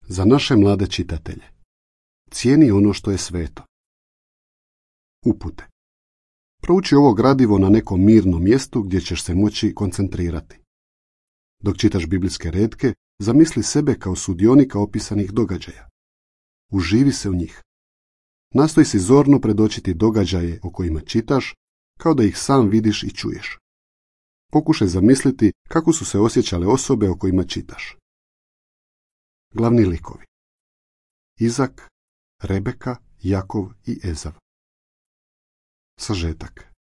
Za naše mlade čitatelje. Cijeni ono što je sveto. Upute. Prouči ovo gradivo na nekom mirnom mjestu gdje ćeš se moći koncentrirati. Dok čitaš biblijske retke, zamisli sebe kao sudionika opisanih događaja. Uživi se u njih. Nastoj si zorno predočiti događaje o kojima čitaš, kao da ih sam vidiš i čuješ. Pokušaj zamisliti kako su se osjećale osobe o kojima čitaš. Glavni likovi. Izak, Rebeka, Jakov i Ezav. Sažetak.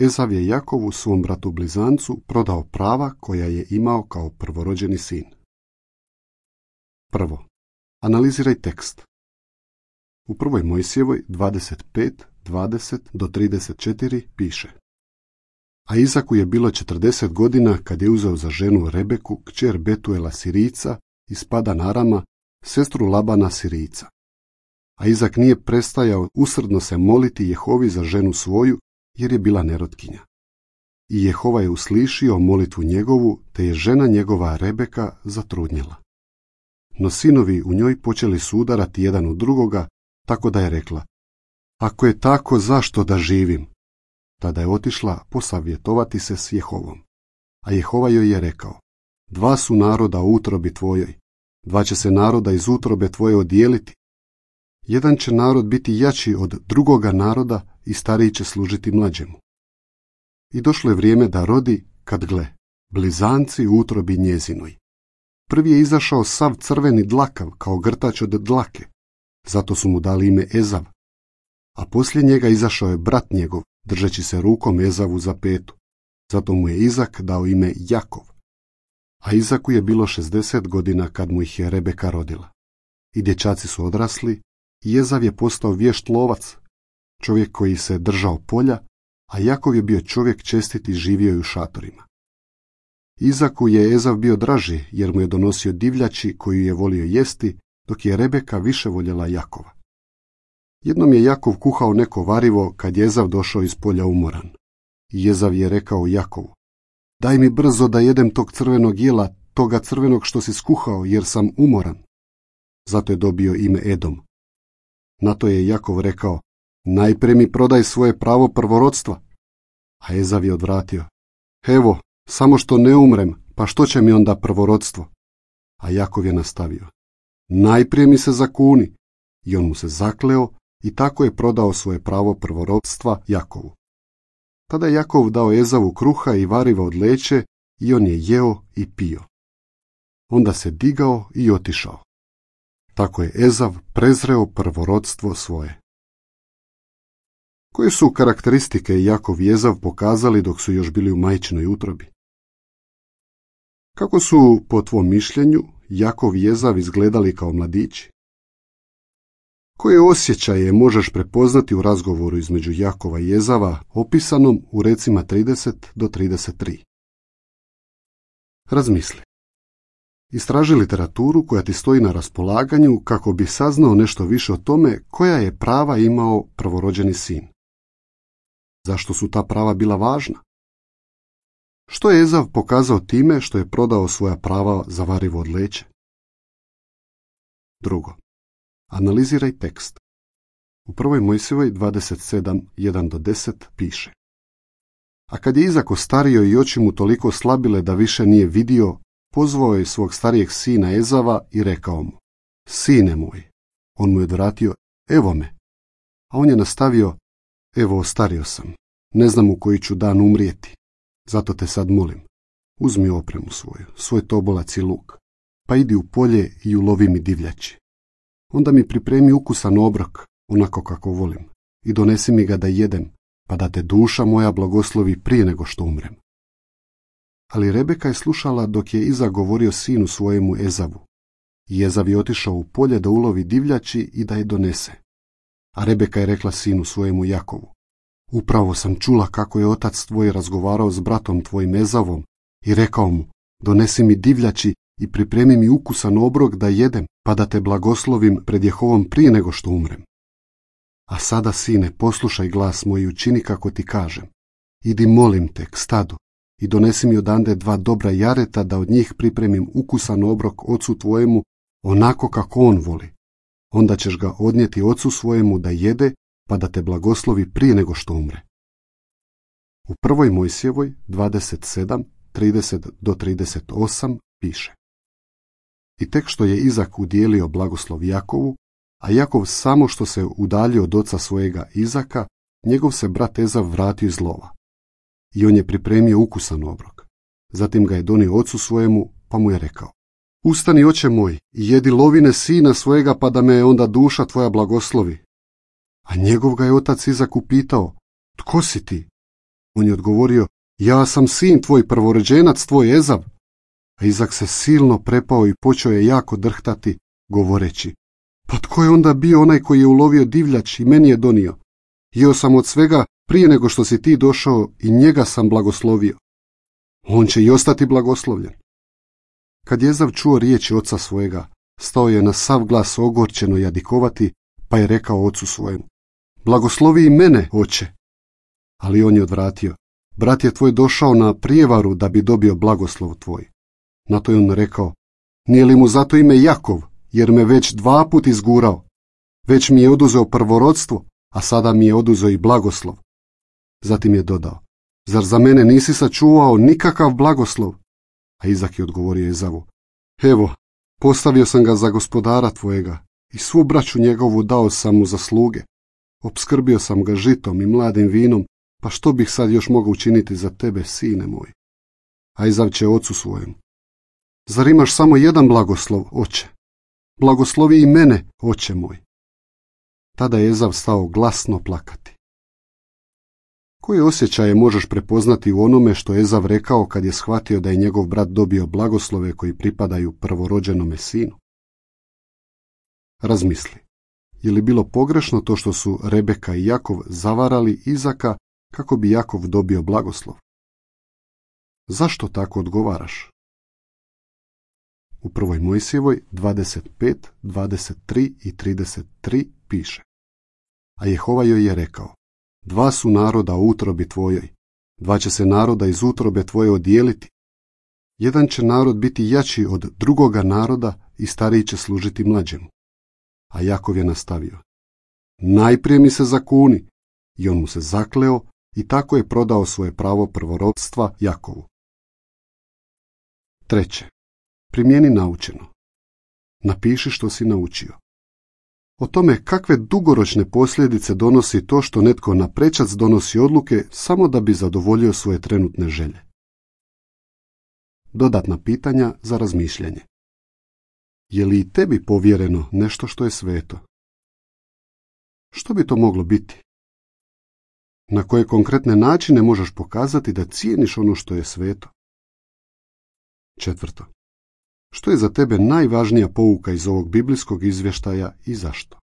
Ezav je Jakovu, svom bratu blizancu, prodao prava koja je imao kao prvorođeni sin. Prvo. Analiziraj tekst. U prvoj Mojsijevoj 25:20-34 piše: A Izaku je bilo 40 godina kad je uzeo za ženu Rebeku, kćer Betuela Sirica iz Padan Arama, sestru Labana Sirica. A Izak nije prestajao usrdno se moliti Jehovi za ženu svoju, jer je bila nerotkinja. I Jehova je uslišio molitvu njegovu, te je žena njegova Rebeka zatrudnjela. No sinovi u njoj počeli su udarati jedan u drugoga, tako da je rekla: Ako je tako, zašto da živim? Tada je otišla posavjetovati se s Jehovom. A Jehova joj je rekao: 2 su naroda u utrobi tvojoj, 2 će se naroda iz utrobe tvoje odijeliti. Jedan će narod biti jači od drugoga naroda i stariji će služiti mlađemu. I došlo je vrijeme da rodi, kad gle, blizanci u utrobi njezinoj. Prvi je izašao sav crveni dlakav kao grtač od dlake, zato su mu dali ime Ezav. A poslije njega izašao je brat njegov, držeći se rukom Ezavu za petu, zato mu je Izak dao ime Jakov. A Izaku je bilo 60 godina kad mu ih je Rebeka rodila. I dječaci su odrasli, i Ezav je postao vješt lovac, čovjek koji se držao polja, a Jakov je bio čovjek čestit i živio je u šatorima. Izaku je Ezav bio draži, jer mu je donosio divljači koju je volio jesti, dok je Rebeka više voljela Jakova. Jednom je Jakov kuhao neko varivo kad je Ezav došao iz polja umoran. I Ezav je rekao Jakovu: Daj mi brzo da jedem tog crvenog jela, toga crvenog što si skuhao, jer sam umoran. Zato je dobio ime Edom. Na to je Jakov rekao: Najprije mi prodaj svoje pravo prvorodstva. A Ezav je odvratio: Evo, samo što ne umrem, pa što će mi onda prvorodstvo? A Jakov je nastavio: Najprije mi se zakuni. I on mu se zakleo i tako je prodao svoje pravo prvorodstva Jakovu. Tada je Jakov dao Ezavu kruha i variva od leće i on je jeo i pio. Onda se digao i otišao. Tako je Ezav prezreo prvorodstvo svoje. Koje su karakteristike Jakov i Ezav pokazali dok su još bili u majčinoj utrobi? Kako su, po tvom mišljenju, Jakov i Ezav izgledali kao mladići? Koje osjećaje možeš prepoznati u razgovoru između Jakova i Ezava, opisanom u recima 30-33? Razmisli. Istraži literaturu koja ti stoji na raspolaganju kako bi saznao nešto više o tome koja je prava imao prvorođeni sin. Zašto su ta prava bila važna? Što je Ezav pokazao time što je prodao svoja prava za varivo od leće? Drugo. Analiziraj tekst. U prvoj Mojsijevoj 27:1-10 piše: A kad je Izak ostario i oči mu toliko slabile da više nije vidio, pozvao je svog starijeg sina Ezava i rekao mu: Sine moj. On mu je odvratio: Evo me. A on je nastavio: Evo, ostario sam. Ne znam u koji ću dan umrijeti. Zato te sad molim. Uzmi opremu svoju, svoj tobolac i luk, pa idi u polje i ulovi mi divljači. Onda mi pripremi ukusan obrok, onako kako volim, i donesi mi ga da jedem, pa da te duša moja blagoslovi prije nego što umrem. Ali Rebeka je slušala dok je Izak govorio sinu svojemu Ezavu. I Ezav je otišao u polje da ulovi divljači i da je donese. A Rebeka je rekla sinu svojemu Jakovu: Upravo sam čula kako je otac tvoj razgovarao s bratom tvojim Ezavom i rekao mu: Donesi mi divljači i pripremi mi ukusan obrok da jedem, pa da te blagoslovim pred Jehovom prije nego što umrem. A sada, sine, poslušaj glas moj i učini kako ti kažem. Idi, molim te, k stadu i donesi mi odande 2 dobra jareta da od njih pripremim ukusan obrok ocu tvojemu, onako kako on voli. Onda ćeš ga odnijeti ocu svojemu da jede, pa da te blagoslovi prije nego što umre. U 1. Mojsijevoj 27, 30-38 piše: I tek što je Izak udijelio blagoslov Jakovu, a Jakov samo što se udaljio od oca svojega Izaka, njegov se brat Ezav vratio iz lova. I on je pripremio ukusan obrok. Zatim ga je donio ocu svojemu, pa mu je rekao: Ustani, oče moj, i jedi lovine sina svojega, pa da me onda duša tvoja blagoslovi. A njegov ga je otac Izak upitao: Tko si ti? On je odgovorio: Ja sam sin tvoj, prvorođenac tvoj Ezav. A Izak se silno prepao i počeo je jako drhtati, govoreći: Pa tko je onda bio onaj koji je ulovio divljač i meni je donio? Jeo sam od svega prije nego što si ti došao i njega sam blagoslovio. On će i ostati blagoslovljen. Kad je Ezav čuo riječi oca svojega, stao je na sav glas ogorčeno jadikovati, pa je rekao ocu svojemu: Blagoslovi i mene, oče. Ali on je odvratio: Brat je tvoj došao na prijevaru da bi dobio blagoslov tvoj. Na to je on rekao: Nije li mu zato ime Jakov, jer me već 2 puta izgurao? Već mi je oduzeo prvorodstvo, a sada mi je oduzeo i blagoslov. Zatim je dodao: Zar za mene nisi sačuvao nikakav blagoslov? A Izak je odgovorio Ezavu: Evo, postavio sam ga za gospodara tvojega i svu braću njegovu dao sam mu za sluge. Opskrbio sam ga žitom i mladim vinom, pa što bih sad još mogao učiniti za tebe, sine moj? A Ezav će ocu svojemu: Zar imaš samo jedan blagoslov, oče? Blagoslovi i mene, oče moj. Tada je Ezav stao glasno plakati. Koje osjećaje možeš prepoznati u onome što je Ezav rekao kad je shvatio da je njegov brat dobio blagoslove koji pripadaju prvorođenome sinu? Razmisli, je li bilo pogrešno to što su Rebeka i Jakov zavarali Izaka kako bi Jakov dobio blagoslov? Zašto tako odgovaraš? U 1. Mojsijevoj 25, 23 i 33 piše: A Jehova joj je rekao: 2 su naroda u utrobi tvojoj, 2 će se naroda iz utrobe tvoje odijeliti. Jedan će narod biti jači od drugoga naroda i stariji će služiti mlađemu. A Jakov je nastavio: Najprije mi se zakuni. I on mu se zakleo i tako je prodao svoje pravo prvorodstva Jakovu. 3. Primjeni naučeno. Napiši što si naučio. O tome kakve dugoročne posljedice donosi to što netko naprečac donosi odluke samo da bi zadovoljio svoje trenutne želje. Dodatna pitanja za razmišljanje. Je li i tebi povjereno nešto što je sveto? Što bi to moglo biti? Na koje konkretne načine možeš pokazati da cijeniš ono što je sveto? 4. Što je za tebe najvažnija pouka iz ovog biblijskog izvještaja i zašto?